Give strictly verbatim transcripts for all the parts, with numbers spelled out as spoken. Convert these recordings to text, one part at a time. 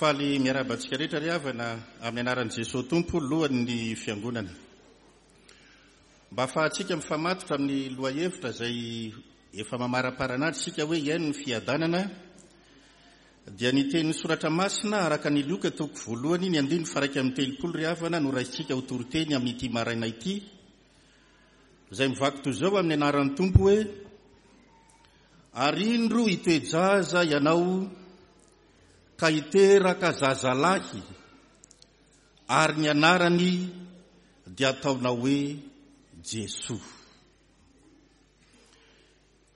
Faly miarahaba antsika rehetra ry havana amin'ny anaran'i Jesoa Tompo lohan'ny fiangonana. Mba ahafahantsika mifamatotra amin'ny lohahevitra izay efa mamaraparana azy isika hoe hiaino ny fiadanana dia ny tenin'ny soratra masina araka ny Lioka toko voalohany ny andininy faha-iraika amby telopolo ry havana no raisintsika ho toriteny amin'ity maraina ity izay mivaky toy izao amin'ny anaran'ny Tompo hoe ary indro hitoe-jaza ianao ka hiteraka zazalahy ary ny anarany dia ataonao hoe Jesoa.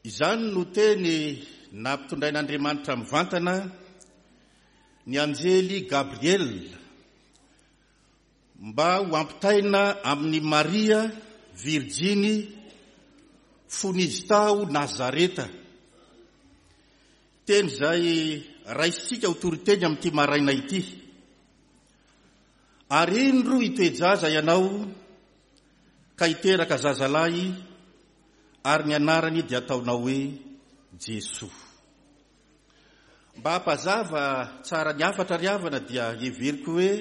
Izany no teny nampitondrain'Andriamanitra mivantana ny anjely Gabriel mba ho ampitaina amin'i Maria Virjiny fony izy tao Nazareta. Teny izay raisintsika ho toriteny amin'ity maraina ity. Ary indro hitoe-jaza ianao ka hiteraka zazalahy ary ny anarany dia ataonao hoe Jesoa. Mba hampazava tsara ny hafatra ry havana dia heveriko hoe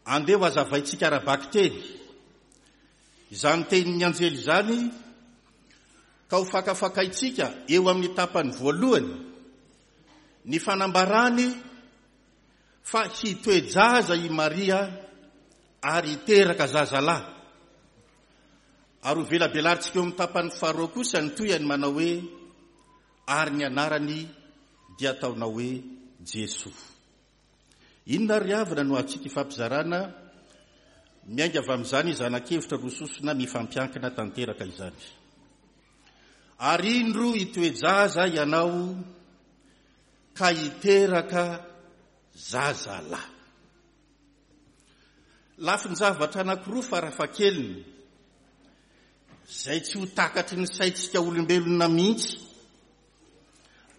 andeha ho hazavaintsika ara-bakiteny izany tenin'ny anjely izany ka ho fakafakaintsika eo amin'ny tapany voalohany ny fanambarany fa hitoe-jaza i Maria ary hiteraka zazalahy. Ary ho velabelarintsika eo amin'ny tapany faharoa kosa ny tohiny manao hoe ary ny anarany dia ataonao hoe Jesoa. Inona ary havana no azontsika ifampizarana miainga avy amin'izany zanakevitra roa sosona mifampiankina tanteraka izany. Ary indro hitoe-jaza ianao ka hiteraka zazalahy. Lafin-javatra anankiroa farafahakeliny izay tsy ho takatry ny saintsika olombelona mihitsy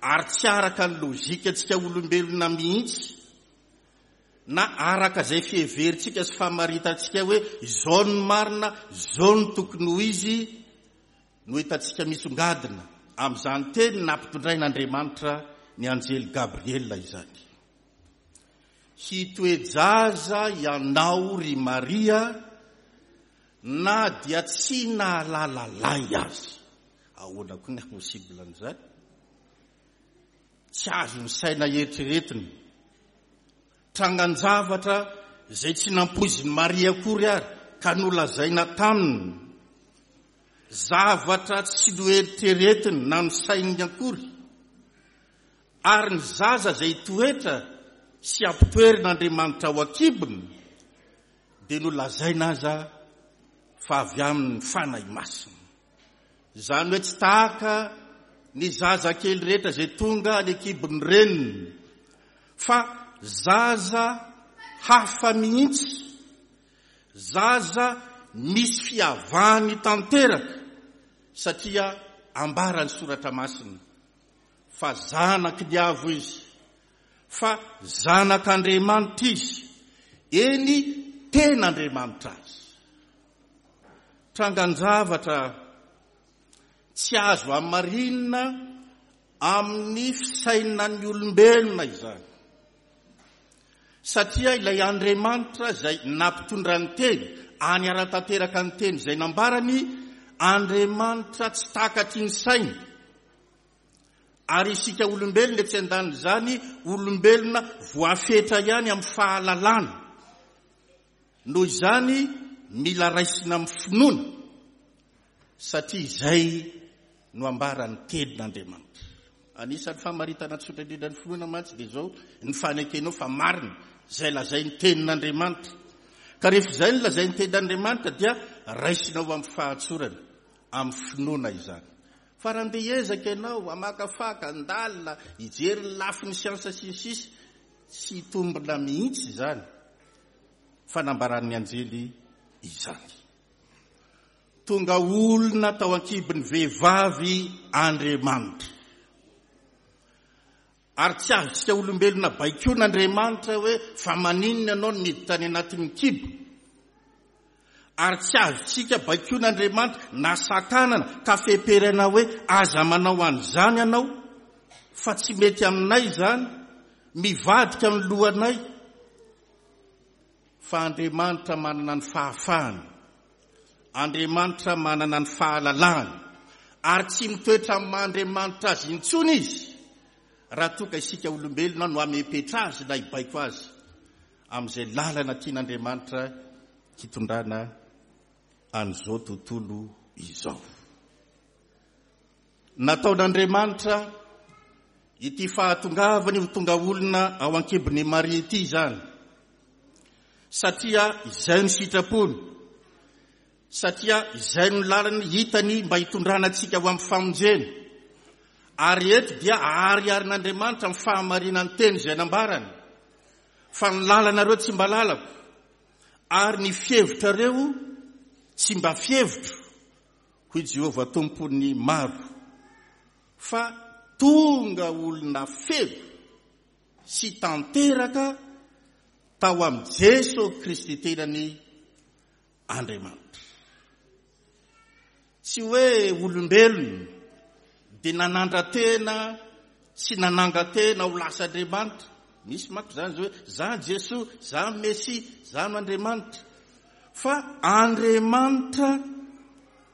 ary tsy araka ny lojikantsika olombelona mihitsy na araka izay fiheverintsika sy famaritantsika hoe izao no marina, izao no tokony ho izy no hitantsika misongadina amin'izany teny nampitondrain'Andriamanitra ny anjely Gabriel izany. Hitoe-jaza ianao ry Maria na dia tsy nahalala lahy aza. Ahoana koa ny possible an'izany? Tsy azon'ny saina eritreretina. Trangan-javatra izay tsy nampoizin'i Maria akory ary ka nolazaina taminy. Zavatra tsy noeritreretiny na nosaininy akory. Ary ny zaza izay hitoetra sy hampitoerin'Andriamanitra ao an-kibony dia nolazaina aza fa avy amin'ny Fanahy Masina. Izany hoe tsy tahaka ny zazakely rehetra izay tonga any an-kibon'ny reniny fa zaza hafa mihitsy, zaza misy fiavahany tanteraka satria ambaran'ny soratra masina fa zanaky ny avo izy, fa zanak'Andriamanitra izy, eny tena Andriamanitra azy. Trangan-javatra tsy azo hamarinina amin'ny fisainan'ny olombelona izany. Satria ilay Andriamanitra izay nampitondra ny teny, any ara-tanteraka ny teny izay nambarany, Andriamanitra tsy takatry ny saina. Ary isika olombelona etsy an-danin'izany, olombelona voafetra ihany amin'ny fahalalana. Noho izany, mila raisina amin'ny finoana, satria izay no ambaran'ny tenin'Andriamanitra. Anisan'ny famaritana tsotra indrindra ny finoana mantsy dia izao, ny fanekenao fa marina izay lazain'ny tenin'Andriamanitra. Ka rehefa izay no lazain'ny tenin'Andriamanitra dia raisinao amin'ny fahatsorana, amin'ny finoana izany. Fa raha andeha hiezaka ianao hamakafaka, handalina, hijery ny lafiny siansa sy ny sisa, tsy hitombina mihitsy izany fanambaran'ny anjely izany. Tonga olona tao an-kibon'ny vehivavy Andriamanitra. Ary tsy azontsika olombelona baikoana Andriamanitra hoe fa maninona ianao no miditra any anatin'ny kibo. Ary tsy azontsika baikoana Andriamanitra na sakanana ka feperana hoe aza manao an'izany ianao fa tsy mety aminay izany Mivadika ny lohanay, fa Andriamanitra manana ny fahafahany, Andriamanitra manana ny fahalalahany, ary tsy mitoetra amin'ny maha Andriamanitra azy intsony izy raha toa ka isika olombelona no hamepetra azy na hibaiko azy amin'izay lalana tian'Andriamanitra hitondrana an'izao tontolo izao. Nataon'Andriamanitra ity fahatongavany ho tonga olona ao an-kibon'i Maria ity izany, satria izay no sitrapony, satria izay no lalana hitany mba hitondrana antsika ho amin'ny famonjena. Ary eto dia ahariharin'Andriamanitra amin'ny fahamarinan'ny teny izay nambarany, fa ny lalanareo tsy mba lalako, ary ny fihevitrareo tsy mba fihevitro, hoy Jehovah Tompon'ny maro, fa tonga olona feno sy tanteraka tao amin'i Jeso Kristy tenany Andriamanitra. Tsy hoe olombelona dia nanandra-tena sy nananga-tena ho lasa Andriamanitra. Misy manko izany hoe za Jesoa, za Mesia, za no Andriamanitra. Fa Andriamanitra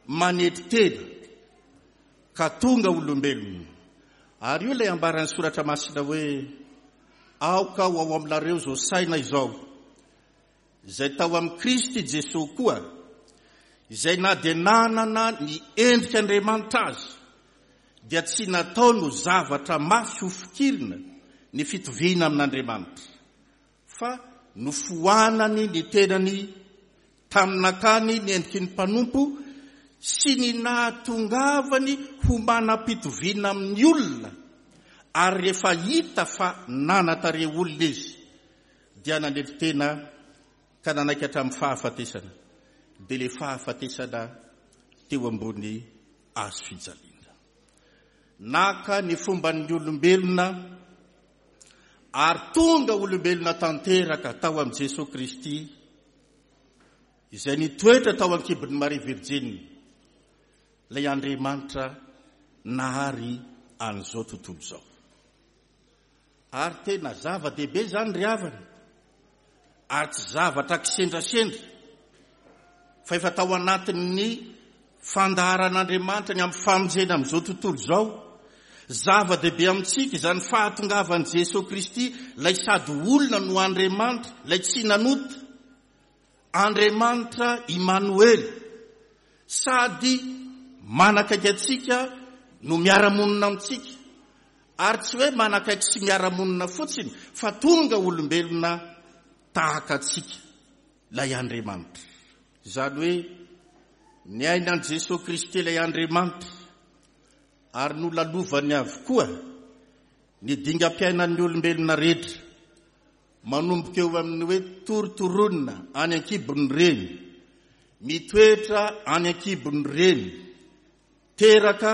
manetry tena ka tonga olombelona. Ary io ilay ambaran'ny soratra masina hoe aoka ho ao aminareo izao saina izao, izay tao amin'i Kristy Jesoa koa, izay na dia nanana ny endrik'Andriamanitra azy, dia tsy nataony ho zavatra mafy ho fikirina ny fitoviana amin'Andriamanitra, fa nofoanany ny tenany tamin'ny nakany ny endriky ny mpanompo sy ny nahatongavany ho manam-pitoviana amin'ny olona, ary rehefa hita fa nanatare olona izy, dia nanetry tena ka nanaiky hatramin'ny fahafatesana, dia ilay fahafatesana teo ambony hazo fijaliana. Naka ny fomban'ny olombelona ary tonga olombelona tanteraka tao amin'i Jesoa Kristy, izay nitoetra tao an-kibon'i Maria Virjiny, ilay Andriamanitra nahary an'izao tontolo izao. Ary tena zava-dehibe izany ry havana, ary tsy zavatra kisendrasendra, fa efa tao anatin'ny fandaharan'Andriamanitra ny amin'ny famonjena amin'izao tontolo izao. Zava-dehibe amintsika izany fahatongavan'i Jesoa Kristy, ilay sady olona no Andriamanitra, ilay tsy nanota, Andriamanitra Imanoela, sady manakaiky antsika no miara-monina amintsika, ary tsy hoe manakaiky sy miara-monina fotsiny, fa tonga olombelona tahaka antsika ilay Andriamanitra. Izany hoe niaina an'i Jesoa Kristy ilay Andriamanitra, ary nolalovany avokoa ny dingam-piainan'ny olombelona rehetra, manomboka eo amin'ny hoe torotoroana any an-kibon'ny reny, mitoetra any an-kibon'ny reny, teraka,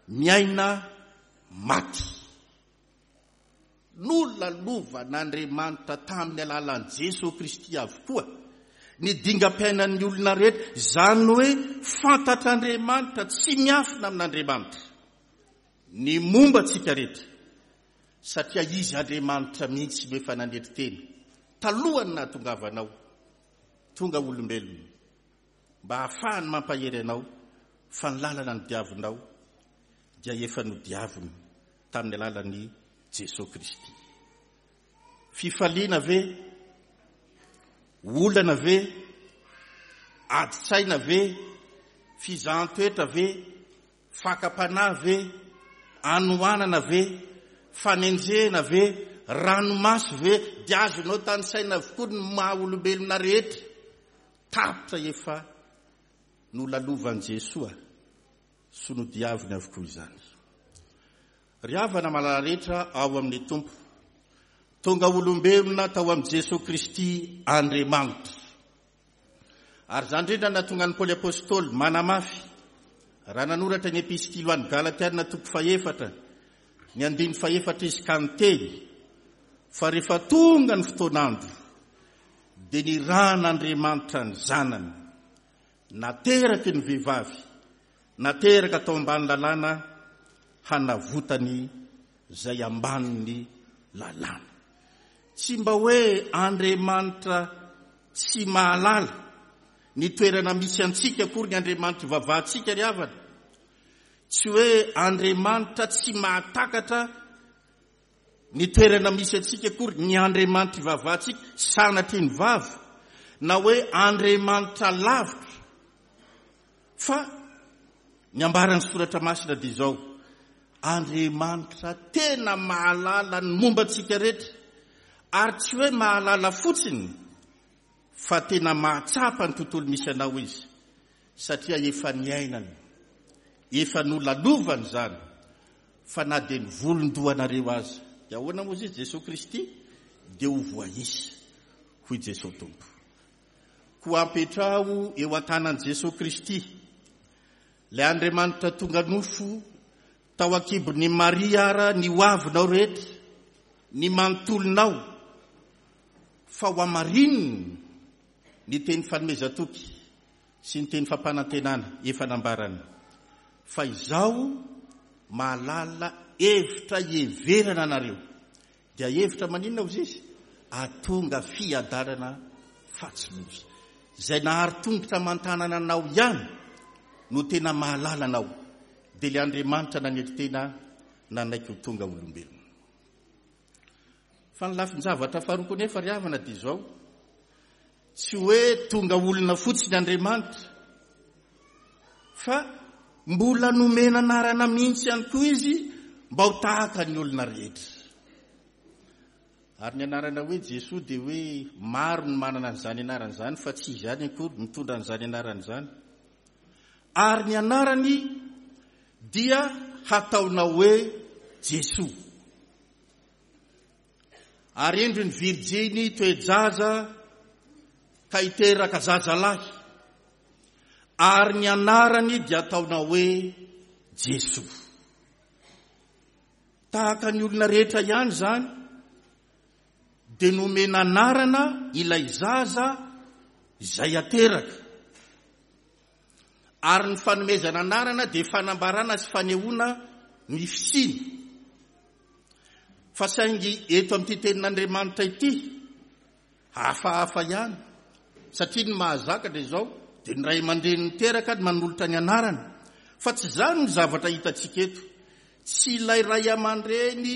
miaina, maty. Nolalovan'Andriamanitra tamin'ny alalan'i Jesoa Kristy avokoa ny dingam-piainan'ny olona rehetra. Izany hoe fantatr'Andriamanitra, tsy miafina amin'Andriamanitra ny momba antsika rehetra, satria izy Andriamanitra mihitsy no efa nanetry tena talohan'ny nahatongavanao tonga olombelona, mba hahafahany mampahery anao fa ny lalana nodiavinao dia efa nodiaviny tamin'ny alalan'i Jesoa Kristy. Fifaliana ve? Olana ve? Ady-tsaina ve? Fizahan-toetra ve? Fakam-panahy ve? Anohanana ve? Fanenjehana ve? Ranomaso ve? Dia azonao tanisaina avokoa ny maha olombelona rehetra. Tapitra efa nolalovan'i Jesoa sy nodiaviny avokoa izany. Ry havana malala rehetra ao amin'ny Tompo, tonga olombelona tao amin'i Jesoa Kristy Andriamanitra. Ary izany indrindra nahatonga an'i Paoly Apostoly manamafy raha nanoratra ny epistily ho an'ny Galatiana toko fahefatra, ny andininy fahefatra izy ka niteny fa rehefa tonga ny fotoan'andro dia nirahan'Andriamanitra ny zanany, nateraky ny vehivavy, nateraka tao ambany lalàna, hanavotany izay ambanin'ny lalàna. Tsy mba hoe Andriamanitra tsy mahalala ny toerana misy antsika akory ny Andriamanitra ivavahantsika ry havana. Tsy hoe Andriamanitra tsy mahatakatra ny toerana misy antsika akory ny Andriamanitra ivavahantsika, sanatria ny vava, na hoe Andriamanitra lavitra. Fa ny ambaran'ny Soratra Masina dia izao: Andriamanitra tena mahalala ny momba antsika rehetra, ary tsy hoe mahalala fotsiny fa tena mahatsapa ny tontolo misy anao izy, satria efa niainany, efa nolalovany izany, fa na dia ny volon-dohanareo aza, dia ahoana moa izy Jesoa Kristy dia ho voaisa, hoy Jesoa Tompo. Koa ampetraho eo an-tanan'i Jesoa Kristy, ilay Andriamanitra tonga nofo tao an-kibon'i Maria ara ny ho avinao rehetra, ny manontolonao, fa ho amarininy ny teny fanomezan-toky sy ny teny fampanantenana efa nambarany, fa izaho mahalala hevitra hiheverana anareo. Dia hevitra maninona hozy izy? Ahatonga fiadanana fa tsy loza. Izay nahary tongotra aman-tanana anao ihany no tena mahalala anao, dia ilay Andriamanitra nanetry tena nanaiky ho tonga olombelona. Fa ny lafin-javatra faharoa koa nefa ry havana dia izao: tsy hoe tonga olona fotsiny Andriamanitra, fa mbola nomena anarana mihitsy ihany koa izy mba ho tahaka ny olona rehetra. Ary ny anarana hoe Jesoa dia hoe maro ny manana an'izany anarana izany, fa tsy izy ihany akory mitondra an'izany anarana izany. Ary ny anarany dia hataonao hoe Jesoa. Ary indro ny virjiny toe-jaza ka hiteraka zazalahy, ary ny anarany dia ataonao hoe Jesoa. Tahaka ny olona rehetra ihany izany, dia nomena anarana ilay zaza izay ateraka. Ary ny fanomezana anarana dia fanambarana sy fanehoana ny fisiana. Fa saingy eto amin'ity tenin'Andriamanitra ity, hafahafa ihany, satria ny mahazaka dia izao, dia ny ray aman-dreny niteraka no manolotra ny anarana. Fa tsy izany ny zavatra hitantsika eto. Tsy ilay ray aman-dreny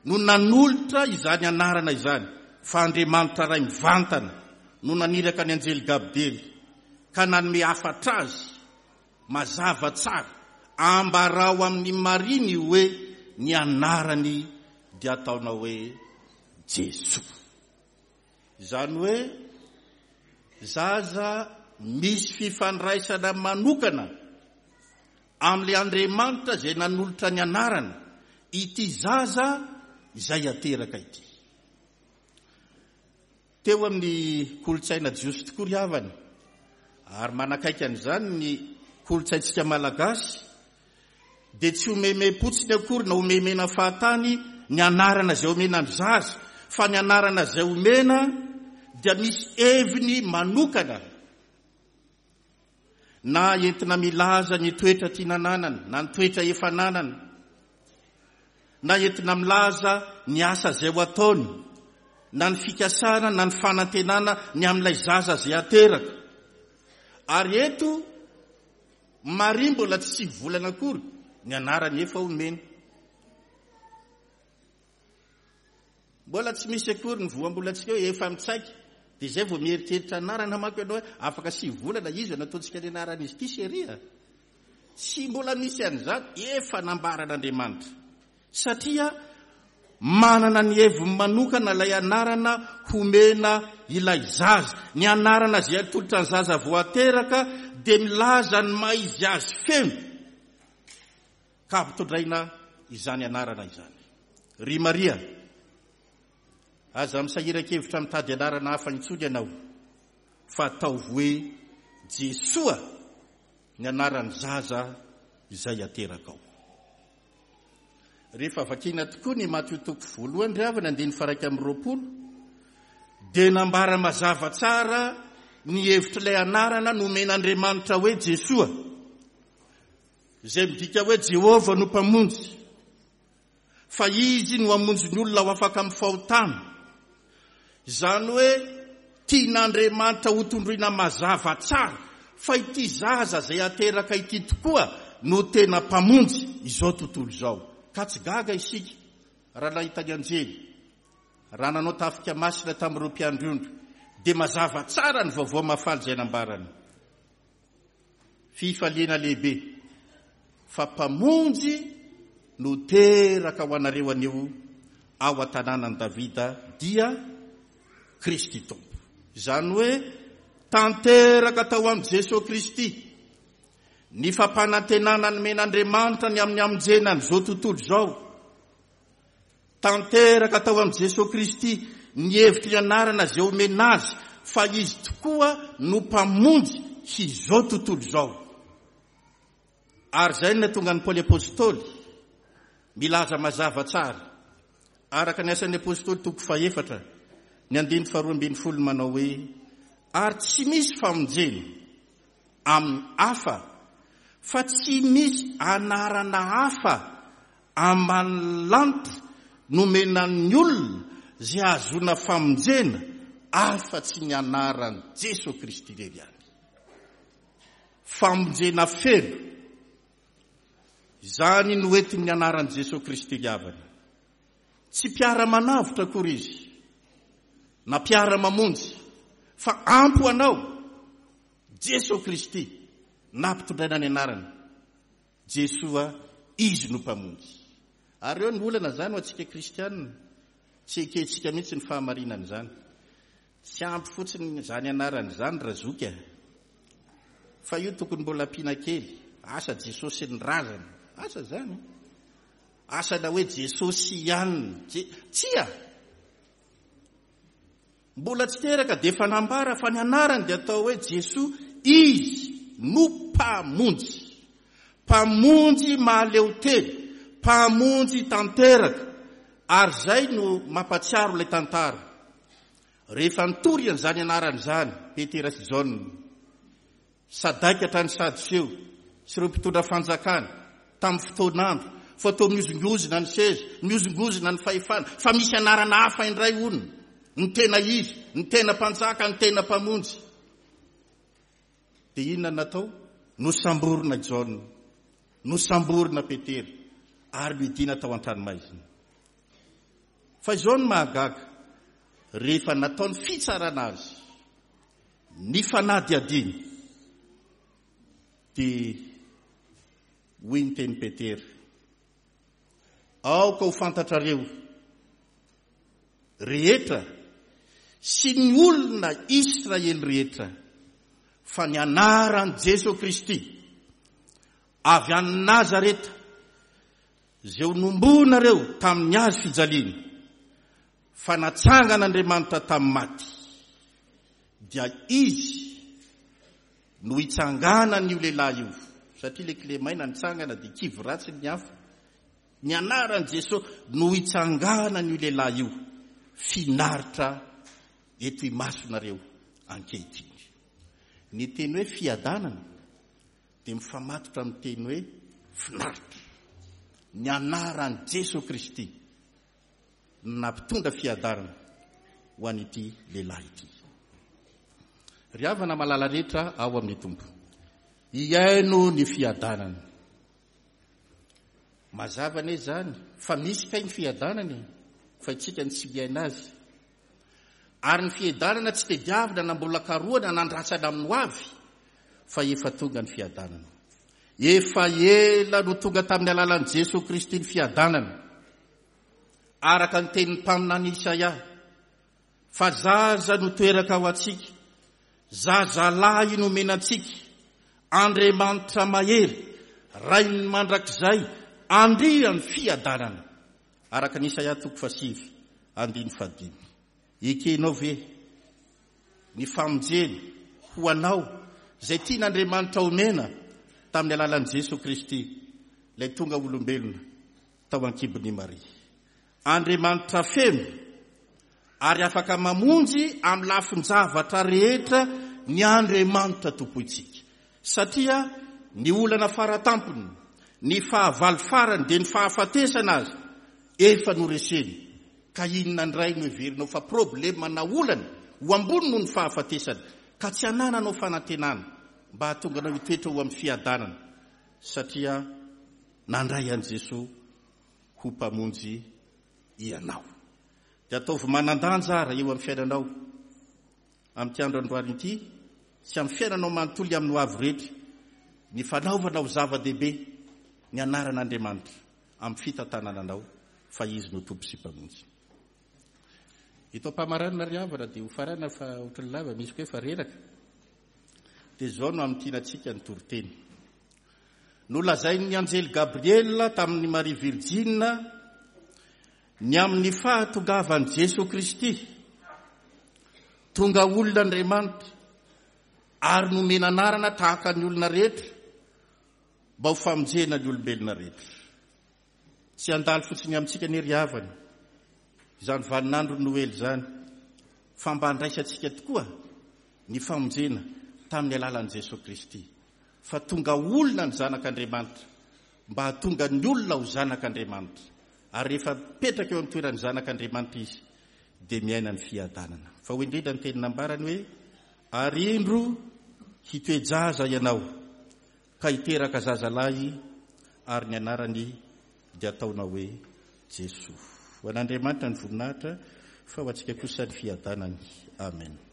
no nanolotra izany anarana izany, fa Andriamanitra Ray mivantana no naniraka ny anjely Gabriely ka nanome hafatra azy mazava tsara: ambarao amin'i Maria ny hoe ny anarany dia ataonao hoe Jesoa. Izany hoe zaza misy fifandraisana manokana amin'ilay Andriamanitra izay nanolotra ny anarana, ity zaza izay ateraka ity. Teo amin'ny kolontsaina jiosy tokoa ry havana, ary manakaiky an'izany ny kolontsaintsika malagasy, dia tsy omemem-potsiny akory na omemena fahatany ny anarana izay omena ny zaza, fa ny anarana izay omena dia misy heviny manokana, na entina milaza ny toetra tiana ananana, na ny toetra efa ananana, na entina milaza ny asa izay ho ataony, na ny fikasana na ny fanantenana ny amin'ilay zaza izay ateraka. Ary eto Maria mbola tsy sivy volana akory ny anarany efa omena. Mbola tsy misy akory ny voambolantsika hoe efa mitsaika, dia izay vao mieritreritra anarana manko ianao hoe afaka sivy volana izy no ataontsika ny anaran'izy ity chérie. Tsy mbola misy an'izany, efa nambaran'Andriamanitra. Satria manana ny heviny manokana ilay anarana homena ilay zaza. Ny anarana izay atolotra ny zaza vao ateraka dia milaza ny maha izy azy feno, ka ampitondraina izany anarana izany. Ry Maria, aza misahiran-kevitra mitady anarana hafa intsony ianao, fa ataovy hoe Jesoa ny anaran'ny zaza izay aterakao. Rehefa vakiana tokoa ny Matio toko voalohany ry havana, andininy faha-iraika amby roapolo, dia nambara mazava tsara ny hevitr'ilay anarana nomen'Andriamanitra hoe Jesoa, izay midika hoe Jehovah no Mpamonjy, fa Izy no hamonjy ny olona ho afaka amin'ny fahotana, Izany hoe tian'Andriamanitra ho tondroina mazava tsara fa ity zaza izay ateraka ity tokoa no tena mpamonjy izao tontolo izao. Ka tsy gaga isika raha nahita ny anjely, raha nanao tafika masina tamin'ireo mpiandry ondry, dia mazava tsara ny vaovao mahafaly izay nambarany. Fifaliana lehibe fa mpamonjy no teraka ho anareo anio ao an-tanànan'i Davida, dia Kristy Tompo. Izany hoe tanteraka tao amin'i Jesoa Kristy ny fampanantenana nomen'Andriamanitra ny amin'ny hamonjena an'izao tontolo izao. Tanteraka tao amin'i Jesoa Kristy ny hevitry ny anarana izay omena azy fa izy tokoa no mpamonjy izao tontolo izao. Ary izay no nahatonga an'i Paoly Apostoly milaza mazava tsara araka ny asan'ny Apostoly toko fahefatra ny andininy faharoa ambin'ny folo manao hoe: ary tsy misy famonjena amin'ny hafa fa tsy misy anarana hafa ambanin'ny lanitra nomenan'ny olona izay ahazoana famonjena afa-tsy ny anaran'i Jesoa Kristy irery ihany. Famonjena feno izany no entin'ny anaran'i Jesoa Kristy ry havana. Tsy mpiara-manavotra akory izy na mpiara-mamonjy fa ampy ho anao Jesoa Kristy nampitondraina ny anarany Jesoa, izy no mpamonjy. Ary eo ny olana izany ho antsika kristianina, tsy ekentsika mihitsy ny fahamarinan'izany. Tsy ampy fotsiny izany anarana izany razoky a. Fa io tokony mbola ampiana kely, asa Jesosy sy ny razana, asa izany. Asa na hoe Jesosy ihany, tsia. Mbola tsy teraka dia efa nambara fa ny anarany dia atao hoe Jesoa, izy no mpamonjy. Mpamonjy mahaleo tena, mpamonjy tanteraka. Ary izay no mampatsiaro ilay tantara. Rehefa nitory an'izany anarana izany Petera sy Jaona, sadaika hatrany Sadoseo sy ireo mpitondra fanjakana tamin'ny fotoan'andro, fa toa mihozongozona ny seza, mihozongozona ny fahefana, fa misy anarana hafa indray hono, ny tena izy, ny tena mpanjaka, ny tena mpamonjy. Dia inona no natao? Nosamborina Jaona, nosamborina Petera, ary nidina tao an-tranomaizina. Fa izao no mahagaga, rehefa natao ny fitsarana azy, ny fanadihadiana, dia hoy ny teny Petera: aoka ho fantatrareo rehetra sy ny olona Israely rehetra fa ny anaran'i Jesoa Kristy avy any Nazareta izay ho nombonareo tamin'ny hazo fijaliana fa natsangan'Andriamanitra tamin'ny maty, dia izy no hitsanganan'io lehilahy io, satria ilay kilemaina nitsangana dia kivy ratsy ny hafa. Ny anaran'i Jesoa no hitsanganan'io lehilahy io, finaritra eto imasonareo ankehitriny. Ny teny hoe fiadanana dia mifamatotra amin'ny teny hoe finaritra. Ny anaran'i Jesoa Kristy no nampitondra fiadanana ho an'ity lehilahy ity. Ry havana malala rehetra ao amin'ny Tompo, hihaino ny fiadanana. Mazava anie izany fa misy kay ny fiadanana e, fa isika no tsy miaina azy. Ary ny fiadanana tsy tediavina na mbola karohana na andrasana amin'ny ho avy, fa efa tonga ny fiadanana. Efa ela no tonga tamin'ny alalan'i Jesoa Kristy ny fiadanana. Araka ny tenin'ny mpaminany Isaia, fa zaza no teraka ho antsika, zazalahy no omena antsika, Andriamanitra mahery, Rain'ny mandrakizay, Andrian'ny fiadanana. Araka ny Isaia toko fahasivy, andininy fahadimy. Ekenao ve ny famonjena ho anao izay tian'Andriamanitra omena tamin'ny alalan'i Jesoa Kristy, ilay tonga olombelona tao an-kibon'i Maria? Andriamanitra feno ary afaka mamonjy amin'ny lafin-javatra rehetra ny Andriamanitra tompointsika. Satria ny olana faratampony, ny fahavalo farany dia ny fahafatesana azy efa noreseny Ka inona indray no heverinao fa problema na olana ho ambony noho ny fahafatesana, ka tsy anananao fanantenana mba hahatonga anao hitoetra ho amin'ny fiadanana, satria nandray an'i Jesoa ho Mpamonjy ianao. Dia ataovy manan-danja ara eo amin'ny fiainanao amin'ity andro androany ity sy amin'ny fiainanao manontolo amin'ny hoavy rehetra ny fanaovana ho zava-dehibe ny anaran'Andriamanitra amin'ny fitantanana anao, fa Izy no Tompo sy Mpamonjy. Eto am-pamaranana ry havana dia ho farana fa ohatran'ny lava, misy koa efa reraka. Dia izao no hamintinantsika ny toriteny. Nolazain'ny anjely Gabriela tamin'i Maria Virjina ny amin'ny fahatongavan'i Jesoa Kristy. Tonga olona Andriamanitra ary nomena anarana tahaka ny olona rehetra mba ho famonjena ny olombelona rehetra. Tsy handalo fotsiny amintsika anie ry havana izany vaninandro Noely izany, fa mba handraisantsika tokoa ny famonjena tamin'ny alalan'i Jesoa Kristy. Fa tonga olona ny Zanak'Andriamanitra mba hahatonga ny olona ho Zanak'Andriamanitra. Ary rehefa mipetraka eo amin'ny toeran'ny Zanak'Andriamanitra izy, dia miaina ny fiadanana. Fa hoy indrindra ny teny nambarany hoe, Ary indro hitoe-jaza ianao, ka hiteraka zazalahy, ary ny anarany dia hataonao hoe Jesoa. Ho an'Andriamanitra ny voninahitra, fa ho antsika kosa ny fiadanany. Amen.